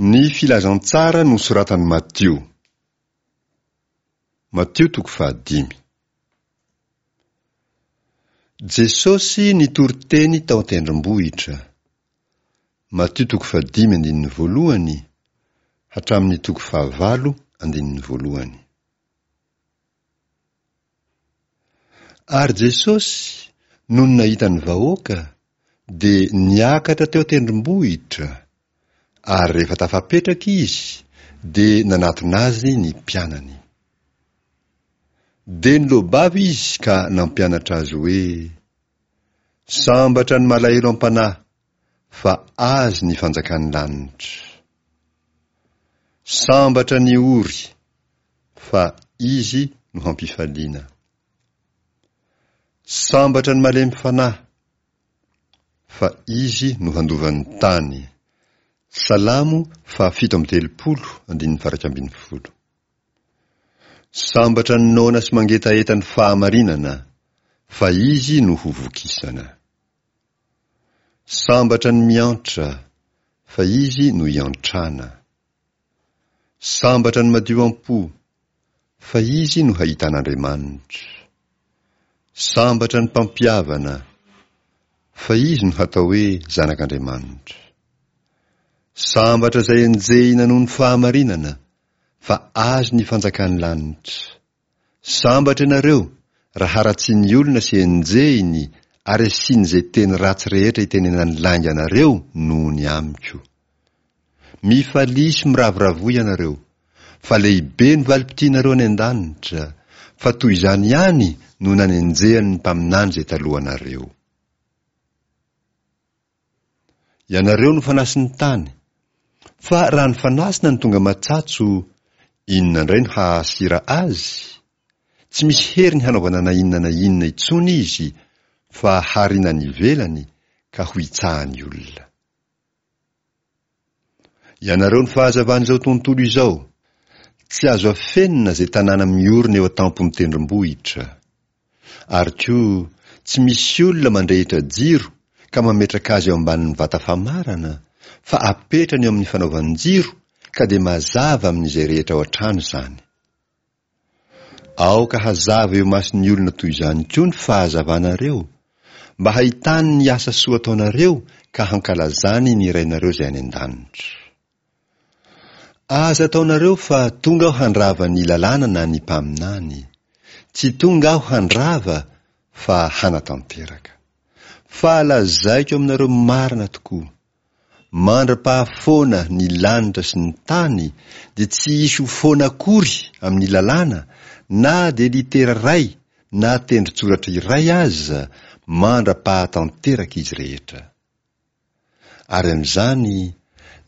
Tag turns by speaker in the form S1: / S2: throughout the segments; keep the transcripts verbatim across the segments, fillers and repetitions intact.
S1: Ny Filazantsara nosoratan'i Matio. Matio toko fahadimy. Jesosy nitory teny tao an-tendrombohitra. Matio toko fahadimy andininy voalohany hatramin'ny toko fahavalo andininy voalohany. Ary Jesosy, nony nahita ny vahoaka, dia niakatra teo an-tendrombohitra, ary rehefa tafapetraka izy, dia nanatona azy ny mpianany. Dia niloa-bava izy ka nampianatra azy hoe, Sambatra ny malahelo am-panahy, fa azy ny fanjakan'ny lanitra. Sambatra ny ory, fa izy no hampifaliana. Sambatra ny malemy fanahy, fa izy no handova ny tany. Salamo fahafito amby telopolo, andininy faha-iraika ambin'ny folo. Sambatra ny noana sy mangetaheta ny fahamarinana, fa izy no ho vokisana. Sambatra ny miantra, fa izy no hiantrana. Sambatra ny madio am-po, fa izy no hahita an'Andriamanitra. Sambatra ny mpampihavana, fa izy no hatao hoe zanak'Andriamanitra. Sambatra izay enjehina noho ny fahamarinana, fa azy ny fanjakan'ny lanitra. Sambatra ianareo raha haratsian'ny olona sy enjehiny ary asiany izay teny ratsy rehetra itenenany lainga anareo noho ny amiko. Mifalia sy miravoravoa ianareo, fa lehibe ny valim-pitianareo any an-danitra, fa toy izany ihany no nanenjehan'ny mpaminany izay talohanareo. Ianareo no fanasin'ny tany, fa raha ny fanasina no tonga matsatso, inona indray no hahasira azy? Tsy misy heriny hanaovana na inona na inona intsony izy, fa hariana any ivelany ka ho hitsahan'ny olona. Ianareo no fahazavan'izao tontolo izao. Tsy azo afenina izay tanàna miorina eo an-tampon'ny tendrombohitra. Ary koa, tsy misy olona mandrehitra jiro ka mametraka azy eo ambanin'ny vata famarana, fa apetrany eo amin'ny fanaovan-jiro ka dia mazava amin'izay rehetra ao an-trano izany. Aoka hazava eo imason'ny olona toy izany koa ny fahazavanareo, mba hahitany ny asa soa ataonareo ka hankalazany ny Rainareo izay any an-danitra. Aza ataonareo fa tonga aho handrava ny lalàna na ny mpaminany. Tsy tonga aho handrava fa hanatanteraka. Fa lazaiko aminareo marina tokoa, mandra-pahafoana ny lanitra sy ny tany dia tsy hisy ho foana akory amin'ny lalàna na dia litera iray na tendron-tsoratra iray aza mandra-pahatanteraka izy rehetra. Ary amin'izany,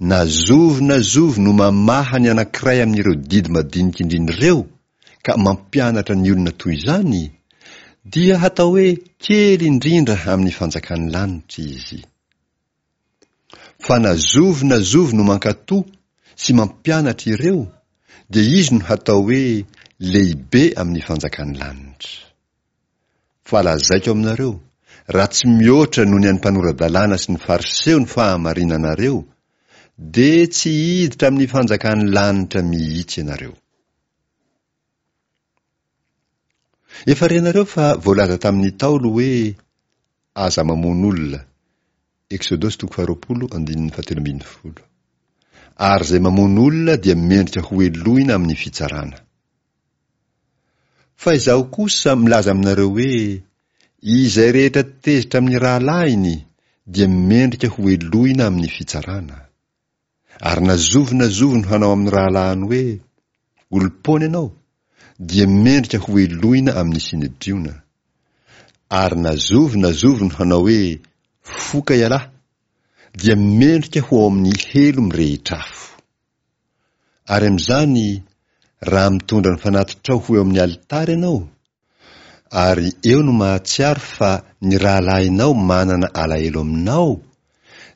S1: na zovy na zovy no mamaha ny anankiray amin'ireo didy madinika indrindra ireo ka mampianatra ny olona toy izany, dia hatao hoe kely indrindra amin'ny fanjakan'ny lanitra izy. Fa na zovy na zovy no mankatò sy mampianatra ireo, dia izy no hatao hoe lehibe amin'ny fanjakan'ny lanitra. Fa lazaiko aminareo, raha tsy mihoatra noho ny an'ny mpanora-dalàna sy ny Fariseo ny fahamarinanareo, dia tsy hiditra amin'ny fanjakan'ny lanitra mihitsy ianareo. Efa renareo fa voalaza tamin'ny Ntaolo hoe, Aza mamono olona. Eksodosy toko faharoapolo andininy fahatelo ambin'ny folo. Ary izay mamono olona dia mendrika hohelohina amin'ny fitsarana. Fa izaho kosa milaza aminareo hoe, izay rehetra tezitra amin'ny rahalahiny dia mendrika hohelohina amin'ny fitsarana. Ary na zovy na zovy no hanao amin'ny rahalahiny hoe, olom-poana ianao, dia mendrika hohelohina amin'ny Synedriona. Ary na zovy na zovy no hanao hoe, foka ialahy, dia mendrika ho ao amin'ny helo mirehitra afo. Ary amin'izany, raha mitondra ny fanatitrao ho eo amin'ny alitara ianao, ary eo no mahatsiaro fa ny rahalahinao manana alahelo aminao,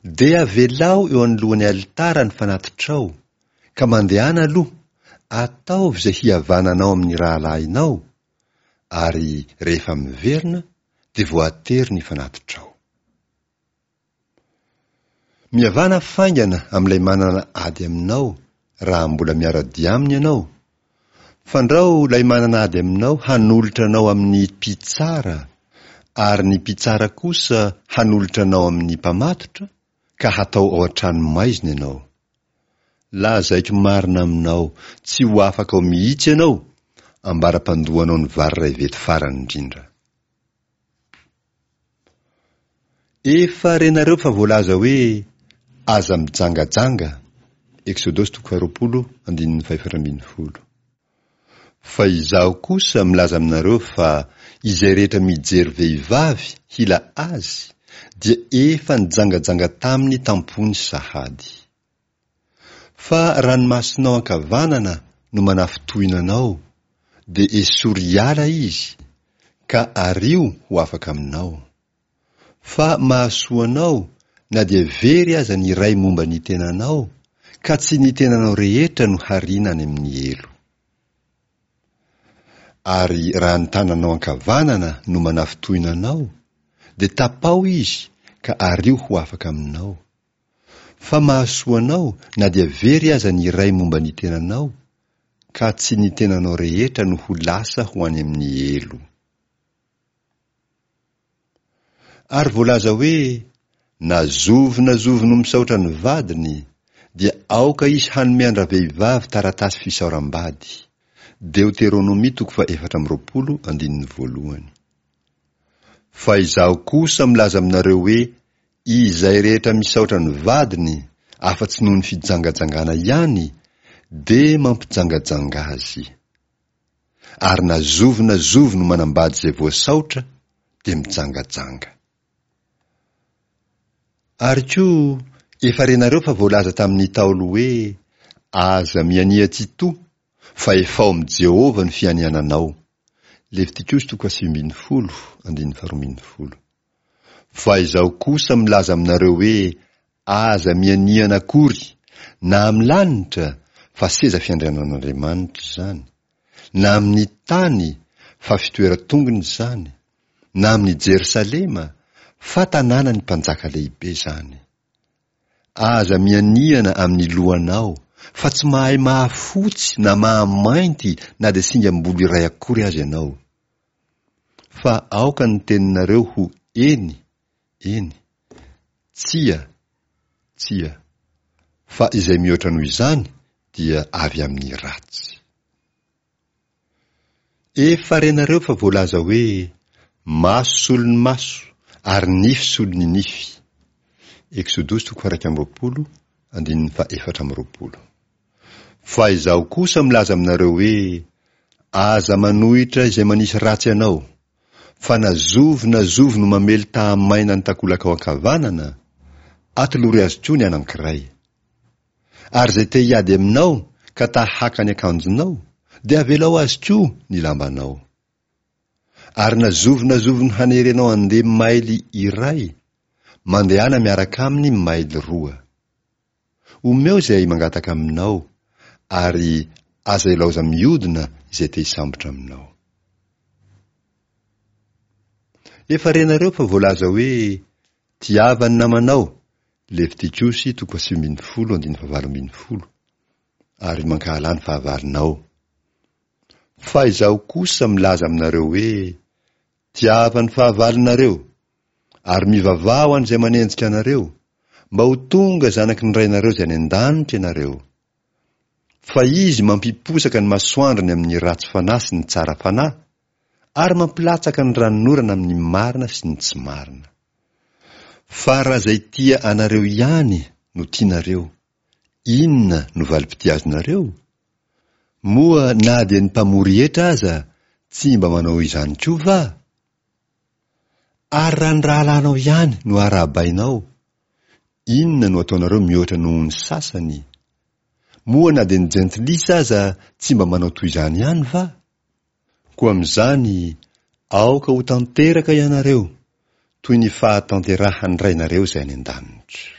S1: dia avelao eo anoloan'ny alitara ny fanatitrao, ka mandehana aloha, ataovy izay hihavananao amin'ny rahalahinao, ary rehefa miverina dia voatery ny fanatitrao. Mihavàna faingana amin'ilay manana ady aminao raha mbola miara-dia aminy ianao, fandrao ilay manana ady aminao hanolotra anao amin'ny mpitsara, ary ny mpitsara kosa hanolotra anao amin'ny mpamatotra, ka hatao ao an-trano maizina ianao. Lazaiko marina aminao, tsy ho afaka ao mihitsy ianao, ambara-pandoanao ny vary iray vety farany indrindra. Efa renareo fa voalaza hoe aza mijangajanga, Eksodosy toko faharoapolo andininy fahefatra ambin'ny folo. Fa izaho kosa milaza aminareo fa izay rehetra mijery vehivavy hila azy dia efa nijangajanga taminy tam-pony sahady. Fa raha ny masonao ankavanana no manafintohina anao, dia esory hiala izy, ka ario ho afaka aminao. Fa mahasoa anao na dia very aza ny iray momba ny tenanao, ka tsy ny tenanao rehetra no hariana any amin'ny helo. Ary raha ny tananao ankavanana no manafintohina anao, dia tapaho izy ka ario ho afaka aminao. Fa mahasoa anao na dia very aza ny iray momba ny tenanao, ka tsy ny tenanao rehetra no ho lasa ho any amin'ny helo. Ary voalaza hoe, na zovy na zovy no misaotra ny vadiny, dia aoka izy hanome an-dravehivavy taratasy fisaoram-bady. Deoteronomia toko faha-efatra amby roapolo andininy voalohany. Fa izaho kosa milaza aminareo hoe izay rehetra misaotra ny vadiny afa-tsy noho ny fijangajangana ihany, dia mampijangajanga azy. Ary na zovy na zovy no manambady izay voasaotra, dia mijangajanga. Ary koa, efa renareo fa voalaza tamin'ny Ntaolo hoe, aza miania tsy to, fa efao amin'i Jehovah ny fianiananao. Levitikosy toko fahasivy ambin'ny folo, andininy faharoa ambin'ny folo. Fa izaho kosa milaza aminareo hoe, aza mianiana akory, na amin'ny lanitra, fa seza fiandrianan'Andriamanitra izany, na amin'ny tany, fa fitoeran-tongony izany, na amin'ny Jerosalema, fa tanànan'ny mpanjaka lehibe izany. Aza mianiana amin'ny lohanao, fa tsy mahay mahafotsy na mahamainty na dia singam-bolo iray akory aza ianao. Fa aoka ny teninareo ho eny, eny, tsia, tsia, fa izay mihoatra noho izany dia avy amin'ny ratsy. Efa renareo fa voalaza hoe, maso solon'ny maso, ary nify solon'ny nify. Eksodosy toko faha-iraika amby roapolo, andininy faha-efatra amby roapolo. Fa izaho kosa milaza aminareo hoe, aza manohitra izay manisy ratsy anao, fa na zovy na zovy no mamely tahamaina ny takolakao ankavanana, atolory azy koa ny anankiray. Ary izay te hiady aminao ka ta haka ny akanjonao, dia avelao azy koa ny lambanao. Ary na zovy na zovy no hanery anao handeha maily iray, mandehana miaraka aminy maily roa. Omeo izay mangataka aminao, ary aza ilaoza miodina izay te hisambotra aminao. Efa renareo fa voalaza hoe, tiava ny namanao, Levitikosy toko fahasivy ambin'ny folo andininy fahavalo ambin'ny folo, ary mankahala ny fahavalonao. Fa izaho kosa milaza aminareo hoe, tiava ny fahavalonareo, ary mivavaha ho an'izay manenjika anareo, mba ho tonga zanaky ny Rainareo izay any an-danitra ianareo. Fa izy mampiposaka ny masoandrony amin'ny ratsy fanahy sy ny tsara fanahy, ary mampilatsaka ny ranonorana amin'ny marina sy ny tsy marina. Fa raha izay tia anareo ihany no tianareo, inona no valim-pitia azonareo? Moa na dia ny mpamory hetra aza tsy mba manao izany koa va? Ary raha ny rahalahinao ihany no arahabainao, inona no ataonareo mihoatra noho ny sasany? Moa na dia ny jentilisa aza tsy mba manao toy izany ihany va? Koa amin'izany, aoka ho tanteraka ianareo, toy ny fahatanterahan'ny Rainareo izay any an-danitra.